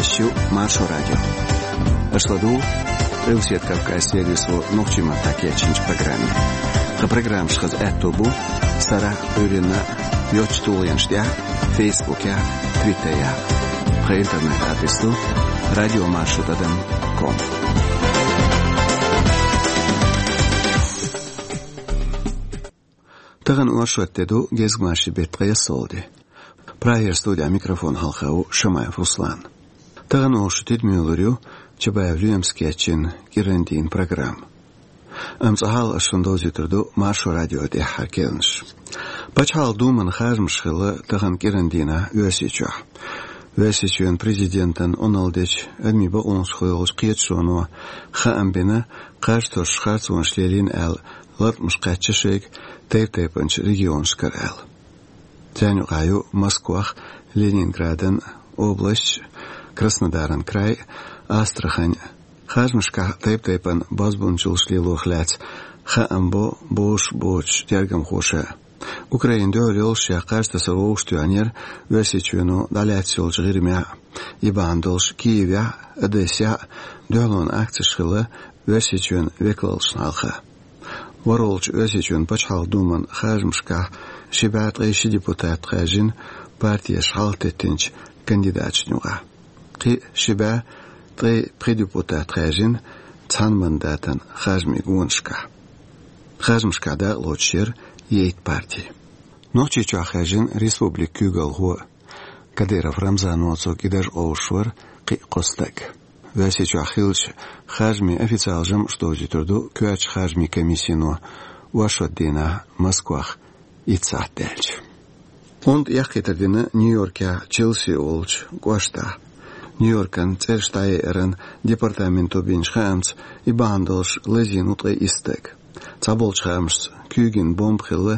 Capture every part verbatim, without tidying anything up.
Шо Маршо радио. Аша ладугӀу Къилбаседа Кавказан сервисо нохчийн маттахь кечйинчу программе. Тхан программаш хаза аьтто бу сарахь а, Ӏуьйранна а йоцачу тулгӀенаш тӀехь а, Фейсбукехь а, Твиттерехь а. Тхан интернет-адрес ду радио маршо тӀадам ком. Тахана оршот де ду, гезгмашин беттан ткъаесналгӀа де. Прагера студехь микрофон хьалха ву Шамаев Руслан. Тахана оха шун тидаме лур ю Чабаев Лоьмас кечйина кӀирандийнан программа. Амма цкъа хьалха ас шуна довзуьйтур ду Маршо радион тӀаьххьара керланаш. Пачхьалкхан Думан харжамаш хилла тахана кӀирандийнахь Оьрсийчохь. Оьрсийчоьнан президентан Ӏуналла дечу адамийн бакъонашкахула йолчу кхеташоно хаам бина, кхаж-тосуш харцонаш лелийна аьлла, латкъамаш кхаьчна шайга тайп-тайпанчу регионашкара аьлла. Царна юкъахь ю Москвах, Ленинградан областаш, Краснодаран край, Астрахань. Харжамашкахь тайп-тайпана бозбуунчаллаш лелорах лаьцна хаам бо бозуш боцучу тергамхоша. Украинан дуьхьал йолуш я кхаж тасар вовшахтоьхнера Оьрсийчоьно дӀалаьцна йолчу ГӀирмехь а, и бахьана долуш Киевехь а, Одессехь а дуьхьалонан акцеш хилла Оьрсийчоьнан векалшна хьалха. ВорхӀалгӀачу Оьрсийчоьнан Пачхьалкхан Думан харжамашкахь ши бӀе ткъе ши депутат хаьржина партеша хьалхатеттинчу кандидаташна юкъахь. Кхин ши бӀе ткъе пхи депутат хаьржина цхьана мандатан харжамийн гонашкахь. Харжамашкахь дакъалоцуш яра ейтта парти. Нохчийчохь хаьржина республикан куьйгалхо а. Кадыров Рамзано, цо кӀидарш къовсуш вара кхин а кхо стаг. Оьрсийчохь хиллачу харжамийн официалан жамӀаша довзуьйтур ду коьртачу харжамийн комиссино оршот дийнахь Москвахь итт сахьт даьлча. Онда эккхийтар дина Нью-Йоркехь Челси олучу кӀоштахь. Нью-Йоркан цӀераш дӀаяйаран департаменто бинчу хаамца, и бахьана долуш лазийна ву ткъе исс стаг. Цхьаболчу хаамашца, куьйгина бомба хилла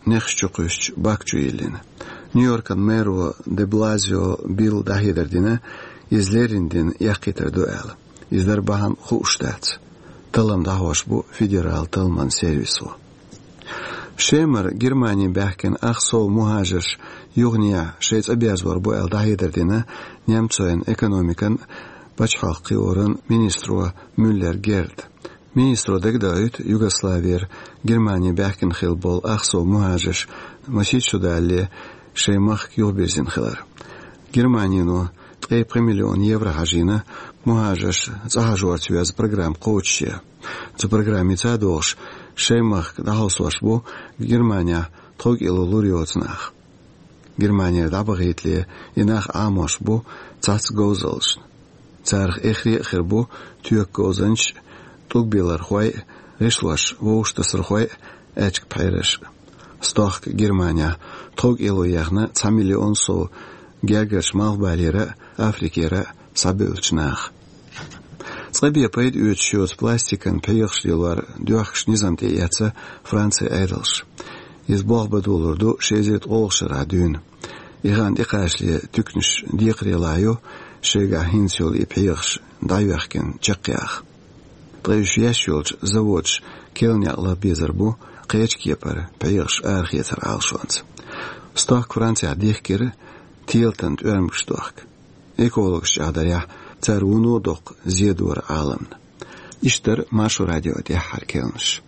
нехаш чу кхуьссучу бак чу йиллина. Нью-Йоркан мэро де Блазио Билла дӀахьедар дина, иза леррина дина эккхийтар ду аьлла. Иза дар бахьана хууш дац. Таллам дӀахьош бу федералан талламан сервисо. Шемара Германе баьхкина ах сов мухӀажарш юханехьа шайн цӀа берзор бу аьлла дӀахьедар дина немцойн экономикан, пачхьалкхан кхиоран министро Мюллер Герда. Министро дагадоуьйту, Югославера Германе баьхкина хилла болу ах сов мухӀажарш масех шо далале шайн махка юхабирзина хилар. Германино ткъе пхи миллион евро хьажийна мухӀажарш цӀа хьажорца йоьзна программа кхочушъян. Цу программица а догӀуш, шайн махка дӀахьовсош бу Германехь тховкӀело лур йоцу нах. Германера дӀабахийтале и нах Ӏамош бу цхьацца говзаллашна. Царах эххар а хир бу тоька говзанчаш а, тӀулг белархой а, гӀишлош вовшахтасархой а, аьчка пхьераш а. Стохка Германехь тховкӀело яьхна цхьа миллион сов гергарчу Малхбалера а, Африкера а схьабевллачу наха. Цкъа бен пайда оьцуш йоцу пластикан пхьегӀаш лелор доьхкаш низам тӀеэцна Францин Ӏедалша. Иза болх бан долур ду ши эзар ткъолгӀачу шарахь дуьйна. И хан тӀекхачале туьканаш декхарийлахь ю шайгахь хӀинца йолу и пхьегӀаш дӀайоьхкина чекхъяха. Ткъа уьш еш йолчу заводаша кел некъ лаха безар бу кхечу кепара пхьегӀаш арахецар Ӏалашонца. Стохка Францехь дихкира телатан тӀоьрмигаш дохка. Экологаша чӀагӀдарехь, цара вуно а доккха зе дора Ӏаламна. Иштта дара Маршо радион тӀаьххьара керланаш.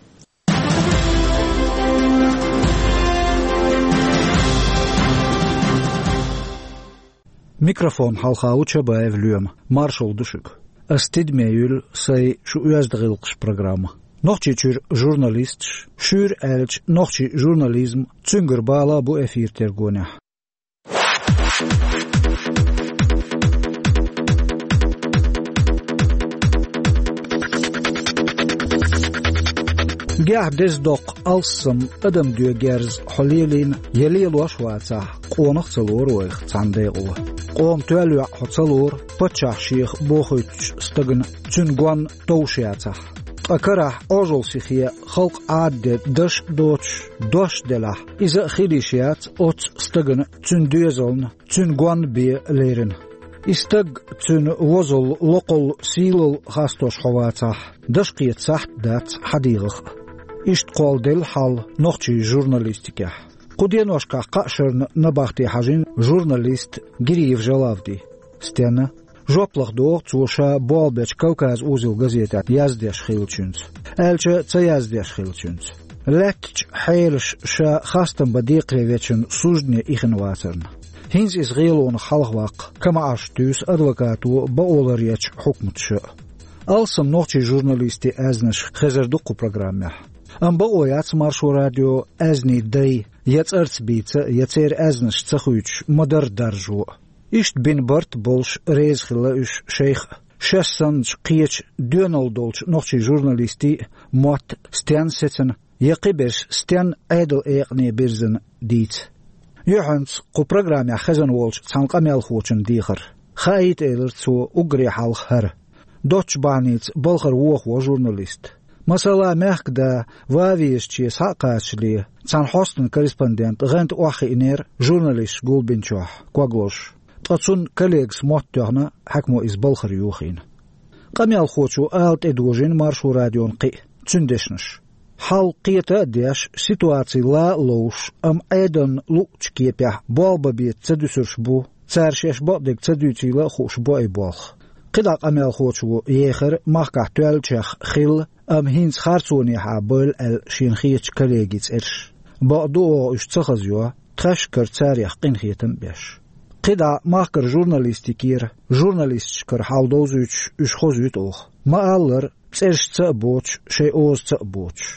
Микрофон хьалха ву Чабаев Лоьма. Маршалла ду шуьга. Ас тидаме юьллу сайн «Шун оьзда гӀиллакхаш» программа. Нохчийчуьра журналисташ, шуьйра аьлча, нохчийн журнализм, цуьнгара бала а бу эфиран тергонехь. Гехь деза доккха алссам адам доьгу герз хьо лелийна я лелош а вацахь, къонах а ца лору вайх цхьана декъо. Къоман тоьлла йоӀ хьо ца лору, паччахь шех бохуьйтучу стагана цуьнан гонна товш яцахь. Ткъа карахь Ӏожалла сихе халкъ Ӏадде даш а доцуш, дош а делахь, иза а хила йиш яц оццу стагана цуьнан доьзална, цуьнан гонна бен лерина. И стаг, цуьнан возалла, локхалла, сийлалла хастош хьо вацахь, даш кхета сахьт а дац хьан дегӀах а. Иштта кхолладелла хьал нохчийн журналистикехь. Кху деношкахь кхаа шарна набахте хьажийна журналист Гириев Жалавди. Стенна? Жоп лаха догӀу цо ша болх бечу «Кавказ узел» газетехь яздеш хиллачуьнца, аьлча а ца яздеш хиллачуьнца. Лаьттачу хьелаша ша хастам бан декхаре вечун суждане ихна вацарна. ХӀинца иза гӀелонах хьалхаваккха, КамаӀаш туьйсу адвокато бакъо ларъечу хьукматаша а. Алссам нохчийн журналистийн аьзнаш хезар ду кху программехь. Амма бакъо яц Маршо радион аьзнийн дай я цӀарца бийца, я церан аьзнаш ца хуьйцуш ма-дарра даржо а. Иштта бина барт болуш реза хилла уьш шайх а, шаьш санначу кхечу доьналла долчу нохчийн журналистийн а мотт стенна сецна, я кхиберш стенна Ӏедалан экъане бирзина дийца. Юьхьанца кху программехь хезна волчу цхьана къамелхочун дехар. Хаийта элира цо уггаре хьалха хӀара. Доцчу бахьаница балхара вохаво журналист. Масала, мехкан да ван везачу схьа а кхачале, цхьана хьостан корреспондент гӀанта охьахиънера журналисташ гулбинчохь, ког лозуш. Ткъа цунна коллегас мотт тоьхна, хьаькамо иза балхара йохийна. Къамелхочо ала тӀедожийна Маршо радиона кхин а цуьнан дешнаш. Хьал кхета а деш, ситуаци ла а ловш, амма Ӏедална луъучу кепехь болх бан беза ца дуьсурш бу, цара шаьш бакъдерг ца дуьйцийла а хууш бу и болх. КхидӀа къамелхочо ехар махкахь тоьллачех хилла, амма хӀинца харцонехьа бевлла аьлла шена хетачу коллегин цӀераш. Бакъду, оха уьш ца хазайо, тхаьшкара царех къинхетам а беш. КхидӀа махкара журналистикера, журналисташкара хьал довзуьйтуш уьш хозуьйту оха. Ма-аллара, цӀераш ца а боцуш, шайн оза ца а боцуш.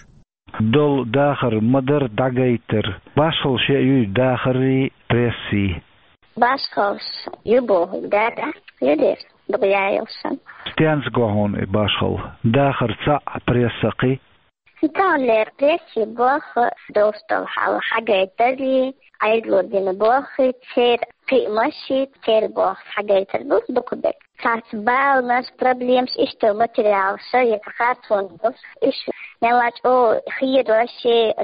Долу дахар ма-дарра дӀагайтар. Башхалла шен юй дахаррий, прессий? Башхаллаш ю бохург, да, да, ю дера, дукха яйалшан. Стенца го хьуна и башхалла? Дахар цхьаъ, пресса кхин? Таханлера пресси болх долуш долу хьал хьагайтарий, Ӏедало дина болхий, церан кхиамаший, церан болх хьагайтар ду дукха берг. Цхьацца баланаш, проблемаш, иштта материалаш, я цхьа харцонаш, уьш мелла а чӀогӀа хедош,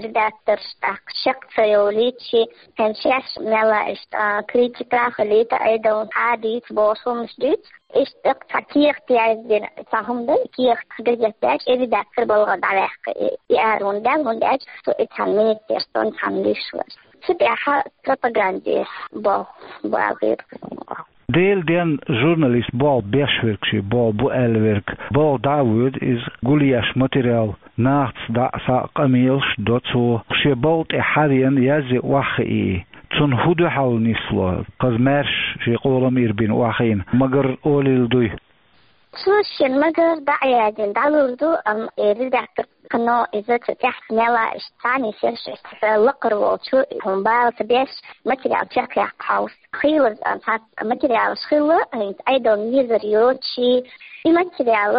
редакторш тӀаккха чекх ца йовлийчи, хӀинца шаьш мелла а иштта критика а хилийта, Ӏедална хьадийца бохуш хӀуманаш дуьйцу. Иштта тӀаккха цхьа кехат яздина, цхьа хӀума дан, кехат газетехь, и редактор балгӀа дӀаваьккха, и, и ара хӀунда даьлла, хӀунда аьлча со и цхьана министерствон цхьана лиш вара. Цу тӀехь пропаганде болх бу аьлла хета. Делан денна журналист болх беш верг, шен болх бу аьлла верг, балха дӀа а воьду иза, гулъеш материал, нахаца дӀа а схьа а къамелаш до цо, шен балха тӀе хьавеана язъе охьахии. Цунна хӀун дуьхьал нисло, хаза маьрша шен къолам ирбина охьахиъна, магар олийла дуй? Цо шен магар дӀа а яздина дӀалур ду, амма и редактор кхано иза цу тӀехь мелла а иштта цхьаьна йисеш, иштта лакхара волчу хӀума бала ца беш, материал чекхъяккха хьовса. Хийлаза, а, цхьацца материалаш хилла, хӀинца Ӏедална везар йоций, и материал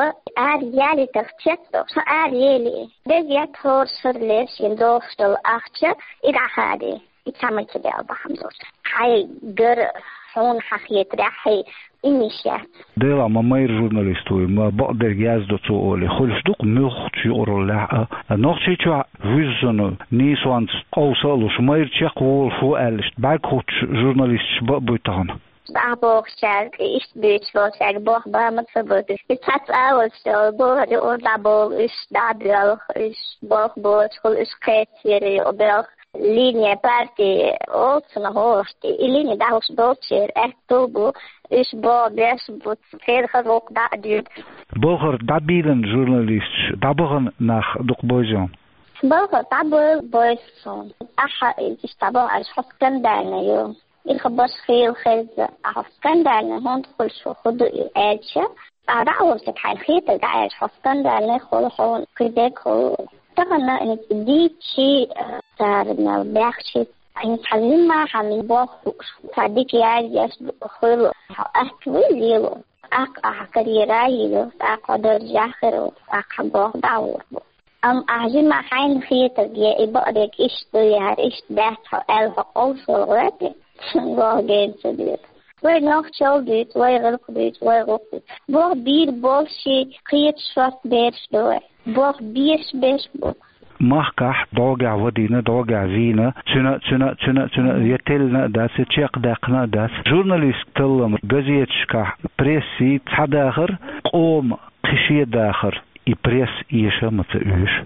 ара ялийтарх цецдо, ша ара ели. Деза яц хӀора шарале шена догӀуш долу ахча, и дӀахаде. И цхьа материал бахьана долуш. Хьайгара хьуна хьан хетарехь, хьайн имиш яц. Делахь ма майра журналист вуй, ма бакъдерг яздо цо олий. Хуьлуш ду-кх муьлххачу юкъараллехь а, Нохчийчохь вуьззина нийсонца къовса а луш, майра чекхволуш ву аьлла, иштта бӀаьрг хӀуттуш журналисташ бакъ буй тахана? ДӀахьа бохучаьрга, иштта буьйцуш болчаьрга болх бан ма ца бу. И цхьацца а волуш, бохар юкъара дӀаболу уьш, дӀа а боьлху уьш, болх боцуш хуьлу уьш кхечера юкъа боьлху. Линия партии олу цунах хӀорш, и линия дӀахьуш болчеран аьтто бу, уьш болх беш бу, церан хаза гӀуллакх дӀа а дуьйцу. Балхара дӀабийлина журналисташ, дӀабахана нах дукха бойзий хьуна? Балхара дӀабойла бойзу суна. Ахьа иштта дӀабахана, аьлча, хьо скандальный ю. И хабарш хийла хезна, ахьа скандальный хӀунда хуьлуш ву, хӀун ду и аьлча, ахьа дӀа а волчуьнга хьайна хетарг дӀа а аьлча, хьо скандальный хуьлу, хьуна кхидерг хуьлу. Тахана хӀинца дийцчи, цара мел баьхчи, хӀинца хьан жимма хьан болх бууш, цхьа дика язъеш хуьлу, хьо атта вуй лело. ТӀаккха ахьа карьера а йилла, тӀаккха хьо даржехь хир ву, тӀаккха хьан болх дӀа а гӀур бу. Амма ахьа жимма хьайна хетарг я и бакъдерг иштта ду, я хӀара иштта дац хьо аьлла, хьо къовсалла гӀоьртий, цунна болх гена ца деза. Вай нохчалла дуьйцу, вай гӀиллакх дуьйцу, вай гӀуллакх дуьйцу. Болх бийр болуш, кхеташ шорта бераш ду вай. Болх беш беш бу. Махкахь дӀогахь вадийна, дӀогахь вийна, цуьнан, цуьнан, цуьнан, цуьнан я теллина а дац, я чекхдаьккхина а дац. Журналистан таллам газеташкахь, прессий цхьа дахар, къоман кхин шен дахар, и пресса эша а ма ца оьшу.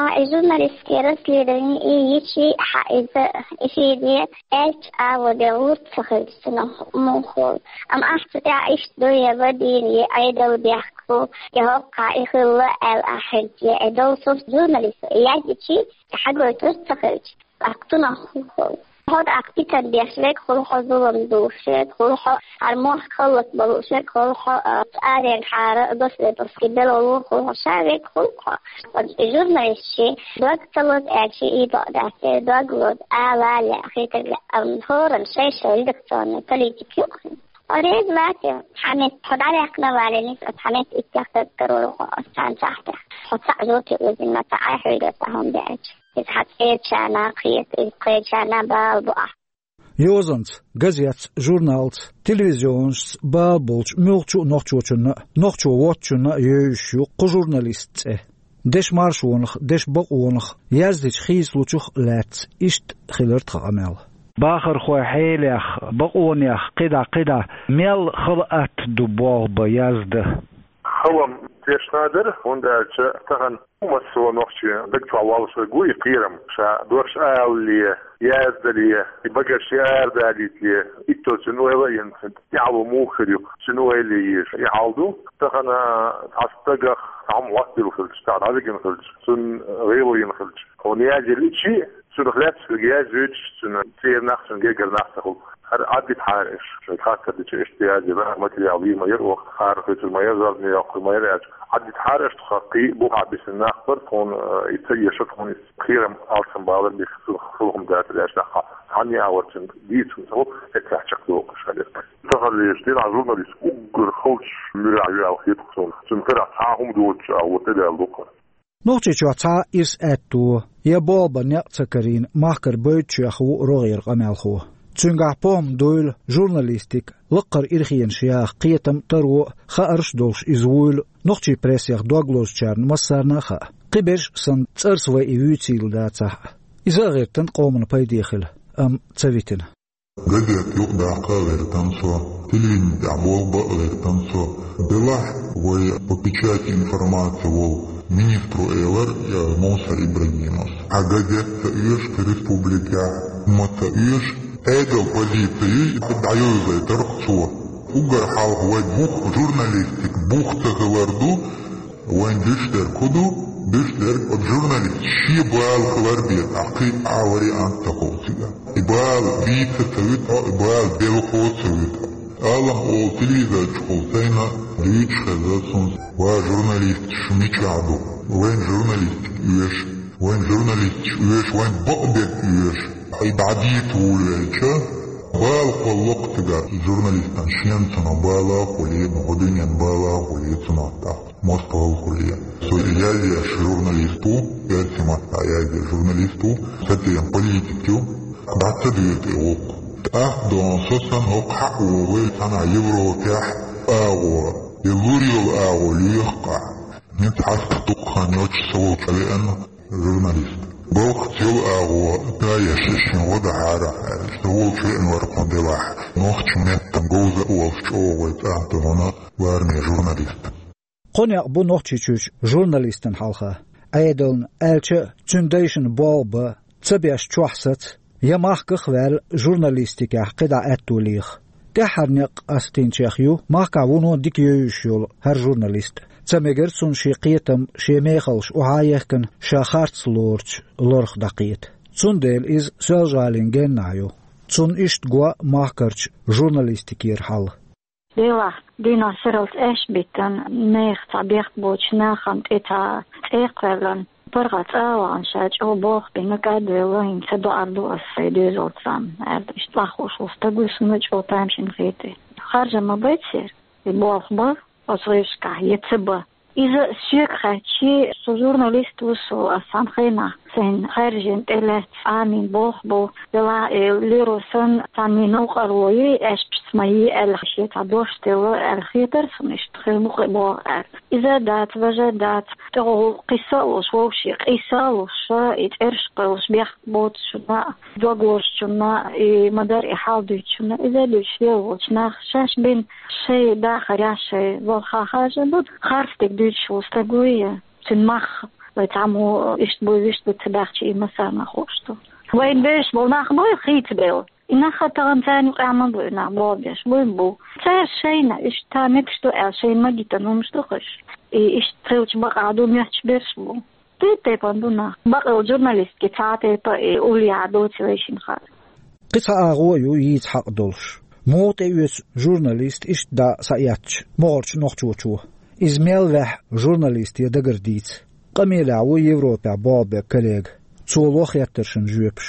А, и журналистские расследования, и ичи хьа иза, и шиде, элч ава де лурт ца хилча цунах мухул. Ам ахча тя ишт дуя вадин, е айдал бяхку, е хокка и хилла эл ахилча, е дол сурт журналист, я дичи, хагой турт ца хилча. Актунах хухул. Ход актитан бяхшвек хулхо зулам душек, хулхо армох халлат балушек, хулхо, а, арен хара, доследовски белолу хулхо шавек хулхо. Ход журналистши, дог цалот экши и богдате, дог лот, а лале, хитер, ам, хоран шей шей редакционный политик юхин. Орез вате, хамет, ходаряк на валенис, хамет иттяхтат карорухо, сан сахтя. Хоца жути узин, ма та ай хойгат ахун бяч. Из хацеча на кхиет, из кхеча на бал буа. Йозанц, газетц, журналц, телевизионшц бал болч мюлхчу нохчочунна, нохчо вотчунна йойш ю кху журналист цӀе. Деш маршонах, деш бакъонах, яздич хийцлучух лаьц ишт хилар тха къамел. Бахархой хьелех, бакъонех, кхида-кхида, мел хала атта ду болх ба язда. Халам тешна дара, хӀунда аьлча тахан массо нохчи даг чохь воллуш верг ву и кхерам, ша дош алале, яздале, и багарш арадалийтле, иттаза цуьнан ойла а йина, цуьнан тӀаьхьало муха хир ю, цуьнан ойла е еза. И хьал ду, тахана цхьа стагах цхьа хӀума хӀоттийла хилча, цхьа дӀавигина хилча, цунна гӀело йина хилча. Хьуна яздаличи, цунах лаьцна верг яздойтуш, цуьнан цӀера нах, цуьнан гергара нах ца хуьлу. ХӀара Ӏаддитахьара аш, шайн хаттар дича, иштта яздина материал вийр ма яра оха, хӀара хуьйцур ма яра, зорбане йоккхур ма яра аьлча. Ӏаддитахьара аш тхо кхин а бухахь бисина нах бара, тхуна, э, и ца эшар, тхуна и кхерам алсам балар бихкира, цунах фу хӀума дацар аьлча, тӀаккха цхьанне а варчун дийца хӀума ца хуьлу, эццахь чекхдохуш хилира. Тахана леш дина журналист уггар халчу муьрехь ю аьлла хета-кх суна. Цуьнан карахь цхьа а хӀума доцуш а ву, тӀедала ду-кх. Нохчийчохь цхьа ирс аьтто, я болх бан некъ ца карийна махкара бойтучех ву рогӀера къамелхо. Цуьнгахь похӀма дуйла журналистик, лаккхара ирхенаш яха кхетам, таро а, хаарш а долуш иза вуйла нохчийн прессех дог лозучарна массарна а хаьа. Кхиберш а санна, цӀарца вай и вуьйцийла дацахь а. Иза а гӀиртина къоман пайде хила, амма ца витина. Газет юкъадаккха а гӀиртина со, телевидени тӀехь болх бан а гӀиртина со. Делахь вай по печати информация волу министро элира, я Мовсар Ибрагимовс: «Хьан газет ца оьшу кху республикехь, хӀума ца оьшу, Ӏедал позици ю, дӀайовзийтар-кх цо». Уггар хьалха вай бух журналистик бух ца хилар ду, вайн дуьш дерг хӀун ду? Дуьш дерг оцу журналист шен бала хилар бен, ахь кхин а вариант ца хуьлу цигахь. И бала вийца ца вуьту, и бала белхо ца вуьту. Алам олу телевизор чухула сайна дуьйцуш хезна суна: «Ва журналист, шу мичахь ду? Вайн журналистик оьшу, вайн журналисташ оьшу, вайн бакъдерг оьшу». И дӀадийца вуьйлавелча, бала кхоллакх цигахь журналистан, шен цунах бала а хуьлий, ну, хӀун дуьнен бала а хуьлий цунах тӀаккха. Москвал хуьлий. Со язъеш журналист ву, эрсий маттахь язъеш журналист ву, сатем политик ю, дӀа ца дуьйла тӀе вукху. ТӀаккха дон со сан хӀокху хьаъ вогӀий цхьана Европехь агӀо, я лур йолу агӀо лоьху-кх ахь. Мин цхьаьшка дукха хан йоцуш со волчу веана журналист. Балкхаца йолу агӀо, да, я шишшин гӀо дахьара, аьлла, со волчу веана вара кху делахь. Нохчийн меттан говза а волуш чӀогӀа вай цӀа а тохана лараме журналист. Кхо некъ бу Нохчийчуьрчу журналистан хьалха. Ӏедална, аьлча а, цуьнан дайшна болх бан, ца беш чохь саца, я махках а ваьлла, журналистикехь кхидӀа аьтто леха. ТӀаьххьара некъ къастийначех ю махкахь вуно дика йовзуш йолу хӀара журналист. Ца мегара цунна шен кхетам, шен мехаллаш охьа а ехкина, ша харц лоручу лорах дӀакхета. Цундела иза Соьлжа-ГӀалин геннахь ю. Цунна иштта го махкарчу журналистикера хьал. Делахь, дийнахь сарралц аьшпа биттина, нехан цхьа бехк боцучу нахана тӀе цхьа цӀе кхоьллина, паргӀат цӀа а вахана, ша чӀогӀа болх бина, кӀадвелла, хӀинца доӀар ду ас сайн доьзалца, аьлла, иштта лаххуш волу стаг ву, суна чӀогӀа тамашийна хета. Харжа ма бай церан, и болх бан оцу гӀирсашкахь, я ца бан. Иза соьга хаьттича, со журналист ву, со, ас цхьана хенахь сайн хаьржина тӀелаьцна Ӏамийна болх бу, делахь, э, леро санна, цхьанний новкъарло йий, аьшпашца ма йий аьлла, шен цхьа дош делла аьлла хетара суна, иштта хир бу-кх и болх аьлла. Иза а дац, важа а дац, тӀехула кхисса а луш, вовшийн къийса а луш, и цӀераш кхоьллуш бехк боцучунна а, дог лозучунна а, и ма-дарра и хьал дуьйцучунна а, иза а дуьйцуш лела волчу наха шаьш бина шайн дахарехь, шайн балхахь хьажа ду, харц дерг дуьйцуш волу стаг вуй, цуьнан мах Вай цхьаммо иштта буй, виштта буй ца баьхча, и массарна хууш ду. Вайн бераш болу нах буй хийцабелла. И нах а тахана царна юкъахь ма буй, нах болх беш буй, бу. Цара шайна, иштта мегаш ду аьлла, шайна магийтина хӀумаш ду хӀорш. И иштта хилча бакъахь ду, моьттуш берш бу. Тайп-тайпана ду нах. Бакъ йолу журналистке цхьа а тайпа и уллехь доций вай шина хаа. Кхин цхьа агӀо а ю йийца хьакъ долуш. Муха тӀеоьцу журналист иштта дӀа схьаэцча могӀарчу нохчочо? Иза мел ваьхьа журналисте дагара дийца? Къамелехь ву Европехь болх беш коллега. Цо ло хеттаршна жоьпаш.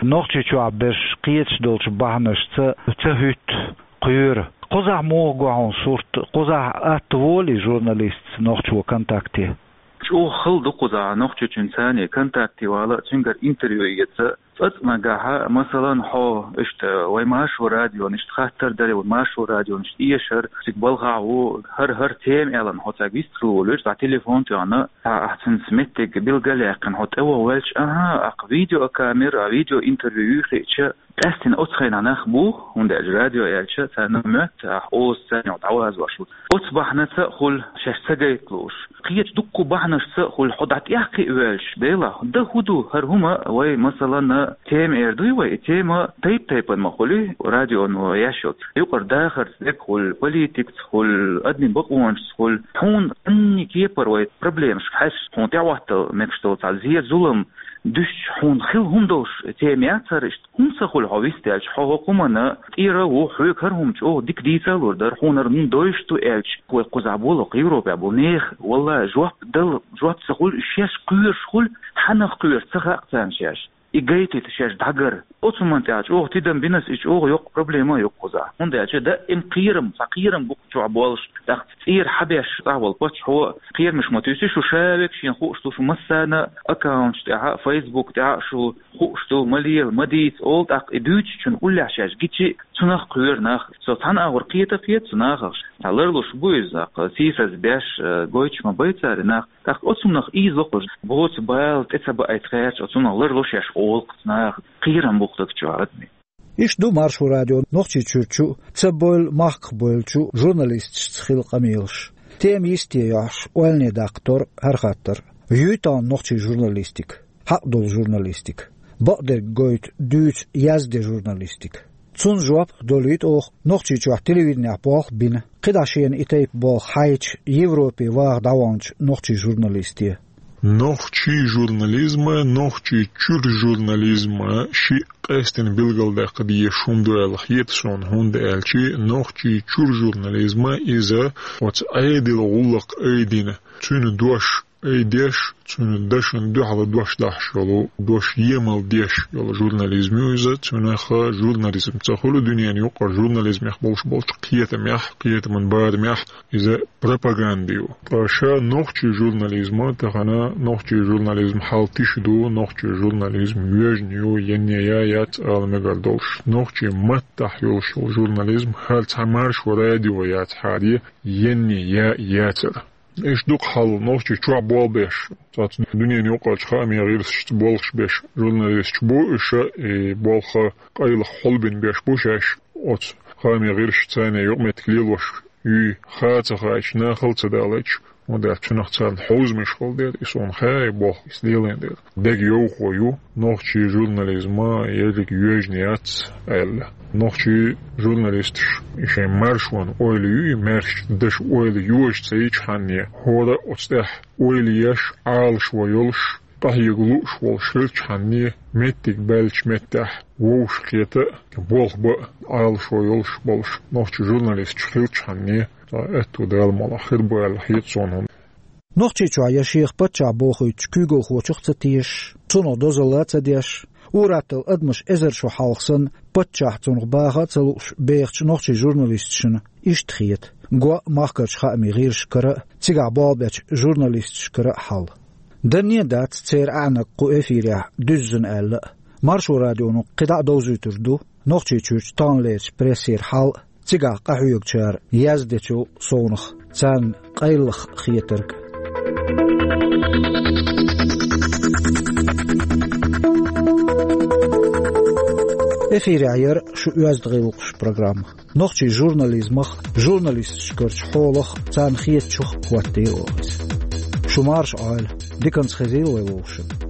Нохчийчохь берш кхеташ долчу бахьанашца ца хӀуьтту, кхоьру. Кхузахь муха го хьуна сурт, кхузахь атта волий журналистца нохчо контакте? ЧӀогӀа хала ду кхузахь нохчочун царний контакте вала, цуьнгара интервью эца. ЦӀа-цӀа нагахь, масалан, хьо иштта вай Маршо радион иштта хаттар даре, вай Маршо радион иштта эшар, цига балхахь ву, хӀара-хӀара тема аьлла, хьо цаьрга вистхила волуьйту, цхьа телефон тоьхна, цхьа ахь цуьнца меттиг билгалъяьккхина, хьо тӀе ваха ваьлча, аха, аккха видеокамера, а видеоинтервью юй хиъча, къаьстина оцу хенахь нах бу, хӀунда аьлча радио аьлча, царна моьтту, ахь оза царна дӀавазош ву. Оцу бахьанаца а хуьлу шаьш ца гайта лууш. Кхечу дуккха бахьанашца а хуьлу, хьо дӀа тӀехь кхиа воьлча, Дела, дан хӀун ду хӀара хӀума вай, масалан, тема эр дуй вай, и тема тайп-тайпана ма хуьлий, радион еш йолчу. Юкъара дахарца дерг хуьлу, политикаца хуьлу, адамийн бакъонашца хуьлу. Хьуна цӀанний кепара вай проблемашка хьаьжча, хьуна тӀехӀоттал мегаш долу цхьа зен-зулам дуьстича, хьуна хила хӀума долуш тема яц хӀара иштта. ХӀунда ца хуьлу хьо вист аьлча, хьо хӀокху хӀуманна тӀера ву, хьоьга хӀара хӀума чӀогӀа дика дийца а лур дара, хьуна хӀара хӀума дойуш ду аьлча, вай кхузахь болу, кху Европехь болу нехан, валлахӀи, жоп дала, жоп ца хуьлу, шаьш кхоьруш хуьлу, хьанах кхоьруш ца хаьа царна шаьш. И гайтийта шаьш дӀагара. Оцу хӀуманна тӀехь чӀогӀа тидам бина ас, и чӀогӀа йоккха проблема а ю кхузахь. ХӀунда аьлча даим кхерам, цхьа кхерам бу чохь болуш, тӀаккха цӀера хьан беш цӀахь волу паччахьо кхерамаш ма туьйсу, шу ша век шена хууш ду, шу массарна аккаунташ тӀехь а, Facebook тӀехь а шу хууш ду, ма лела, ма дийца олу, тӀаккха и дуьйцучун уллехь шаьш гичи, цунах кхоьру нах. Со цхьана агӀор кхета а кхета цу нахах. Цхьа ларлуш бу иза, тӀаккха сийсаз беш, э, гойтуш ма бай цара и нах. ТӀаккха оцунах ийза ло кхуза. Боцу бала тӀе ца баийта гӀерташ, оцунах ларло шаьш олу кхуза наха. Кхерам бу кху даг чохь адамийн. Иштта ду Маршо радион Нохчийчуьрчу а, цабойла махках бовлучу журналисташца хилла къамелаш. Тема йисте йохьуш, ойлане даккха тор хӀара хаттар. Юй тахана нохчийн журналистика, хьакъ долу журналистика? Бакъдерг гойту, дуьйцу, язде журналистика? Цунна жоп долуьйту оха Нохчийчохь телевиденехь болх бина, кхидӀа шена и тайпа болх хьаьжча, Европе ваха дӀаваханчу нохчийн журналисте. Нохчийн журнализма, нохчийн чуьра журнализма шиъ къаьстина билгалдаккха дезаш хӀума ду аьлла хета суна, хӀунда аьлча нохчийн чуьра журнализма иза оцу Ӏедалан гӀуллакх айдина, цуьнан дош айдеш, цуьнан дашна дуьхьал дош дахьаш йолу, дош емал деш йолу журнализм ю иза, цуьнан журнализм ца хуьлу дуьненан юкъара журнализмех болуш болчу кхетамех, кхетаман барамех иза пропаганда ю. Ткъа ша нохчийн журнализма, тахана нохчийн журнализм хьал тиша ду, нохчийн журнализм воьжна ю, енне я яц ала мегар долуш. Нохчийн маттахь йолуш йолу журнализм хӀара цхьа Маршо радио яцахьара, енне я яцара. Иштта ду-кх хьал нохчийн чохь болх беш, цхьацца дуьненан юкъарчу хаамийн гӀирсашца болх беш журналисташ бу, уьш и болх къайлаха хьулбина беш бу шаьш, оцу хаамийн гӀирсашца царна юкъаметтиг лелош юй, хаа ца хаийташ, нахала ца далийташ, хӀунда аьлча цунах царна хьовзамаш хила деза, и суна хаьа и болх, иза лелийна деза. Дега йовхо ю, нохчийн журнализма ерриг йоьжна яц аьлла. Нохчийн журналисташ и шайн маршонан ойла юй, маьршачу дашан ойла йожа ца йичхьанне, хӀора оцу тӀехь ойла еш, Ӏалашо йолуш, къахьега лууш волуш хилчхьанне, меттиг баьллачу меттехь вовшахкхета а, болх бан а Ӏалашо йолуш болуш нохчийн журналисташ хилчхьанне, ткъа аьтту Дала мукъалахь хир бу аьлла хета суна хӀума. Нохчийчохь я шех паччахь бохуьйтучу куьйгалхочух а ца тешаш, цунах дозалла а ца деш, ур-атталла адамаш эзар шо хьалха санна, паччахь цунах баха а ца лууш бехачу нохчийн журналисташна иштта хета го махкарчу хаамийн гӀирсашкара а, цигахь болх бечу журналисташкара а хьал. Данне а дац церан аьӀнаг кху эфирехь дуьззина аьлла а. Маршо радионо кхидӀа а довзуьйтур ду Нохчийчуьрчу таханлерчу прессера хьал а, цигахь къахьоьгучара яздечул совнах царна къайлаха хетарг. Эфирехь яра шу оьзда гӀиллакхаш программа. Нохчийн журнализмах, журналисташкарчу хьолах, царна хетачух хӀоттийра оха иза. Шу марша Ӏойла. Диканца хезийла вай вовшашка.